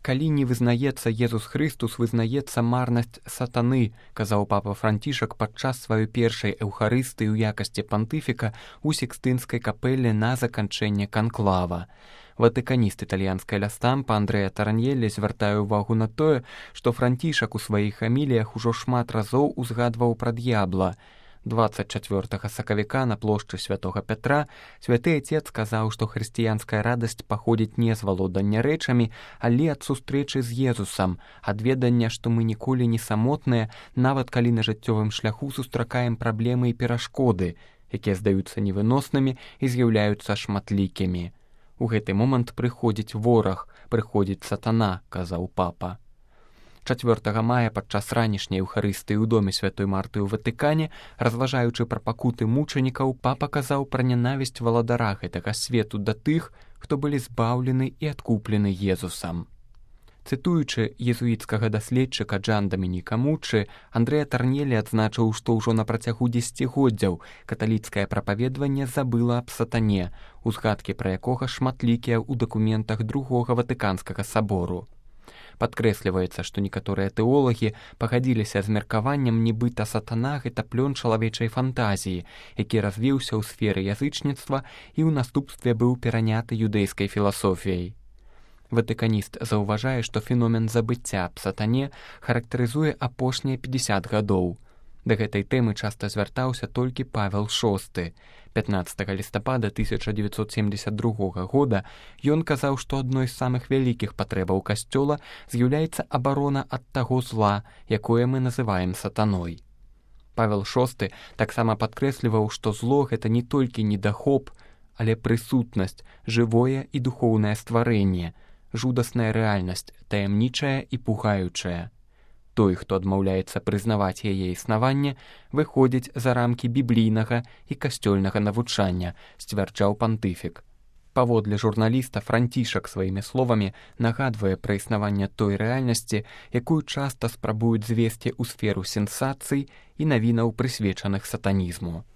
Калі не вызнаецца Езус Хрыстус, вызнаецца марнасць сатаны, казаў папа Францішак падчас сваёй першай эўхарыстыі ў якасці пантыфіка ў Сікстынскай капэле на заканчэнне канклава. Ватыканіст італьянскай лястампа Андрэа Тараньеллі звяртае ўвагу на тое, што Францішак у сваіх хаміліях ужо шмат разоў узгадваў пра д'ябла. 24 сакавіка на плошчы святога Пятра святы Отец сказаў, што хрысціянская радасць паходзіць не з валодання рэчамі, але ад сустрэчы з Езусам, ад ведання, што мы ніколі не самотныя, нават калі на жыццёвым шляху сустракаем праблемы і перашкоды, якія здаюцца невыноснымі і з'яўляюцца шматлікімі. У гэты момант прыходзіць вораг, прыходзіць сатана, казаў папа. 4 мая падчас ранішняй эўхарыстыі ў доме святой Марты ў Ватыкане, разважаючы пра пакуты мучанікаў, папа казаў пра нянавісць валадара гэтага свету да тых, хто былі збаўлены і адкуплены Езусам. Цытуючы езуіцкага даследчыка Джан Дамініка Муччы, Андрэа Тараньеллі адзначыў, што ўжо на працягу дзесяцігоддзяў каталіцкае прапаведванне забыла аб сатане, узгадкі пра якога шматлікія ў дакументах Другога Ватыканскага сабору. Падкрэсліваецца, што некаторыя тэолагі пагадзіліся з меркаваннем, нібыта сатана гэта плён чалавечай фантазіі, які развіўся ў сферы язычніцтва і ў наступстве быў пераняты юдэйскай філасофіяй. Ватыканіст заўважае, што феномен забыцця аб сатане характарызуе апошнія 50 гадоў. Да гэтай тэмы часта звяртаўся толькі Павел VI. 15 лістапада 1972 года ён казаў, што адной з самых вялікіх патрэбаў касцёла з'яўляецца абарона ад таго зла, якое мы называем сатаной. Павел VI таксама падкрэсліваў, што зло гэта не толькі недахоп, але прысутнасць, жывое і духоўнае стварэнне, жудасная рэальнасць, таямнічая і пугаючая. Той, хто адмаўляецца прызнаваць яе існаванне, выходзіць за рамкі біблійнага і касцёльнага навучання, сцвярджаў пантыфік. Паводле журналіста, Францішак сваімі словамі нагадвае пра існаванне той рэальнасці, якую часта спрабуюць звесці ў сферу сенсацый і навінаў, прысвечаных сатанізму.